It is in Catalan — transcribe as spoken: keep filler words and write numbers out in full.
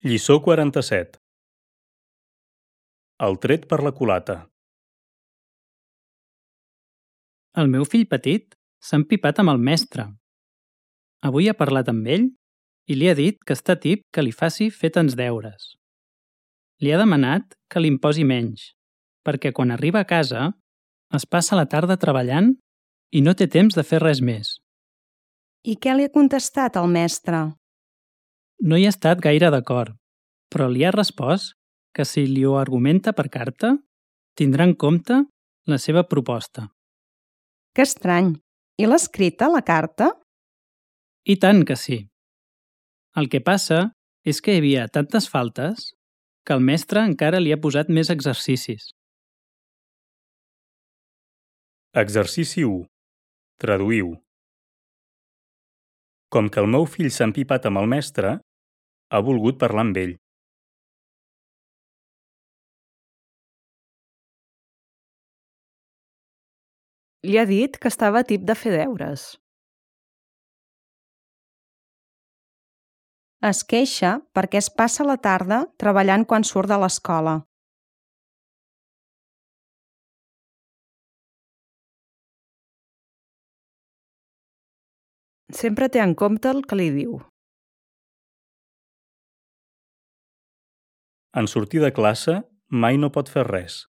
Lliçó quaranta-set. El tret per la culata. El meu fill petit s'ha empipat amb el mestre. Avui ha parlat amb ell i li ha dit que està tip que li faci fer tants deures. Li ha demanat que li imposi menys, perquè quan arriba a casa es passa la tarda treballant i no té temps de fer res més. I què li ha contestat el mestre? No hi ha estat gaire d'acord, però li ha respost que si li ho argumenta per carta, tindrà en compte la seva proposta. Que estrany. I l'ha escrita, la carta? I tant que sí. El que passa és que hi havia tantes faltes que el mestre encara li ha posat més exercicis. Exercici u. Traduïu. Com que el meu fill s'ha empipat amb el mestre, ha volgut parlar amb ell. Li ha dit que estava tip de fer deures. Es queixa perquè es passa la tarda treballant quan surt de l'escola. Sempre té en compte el que li diu. En sortir de classe mai no pot fer res.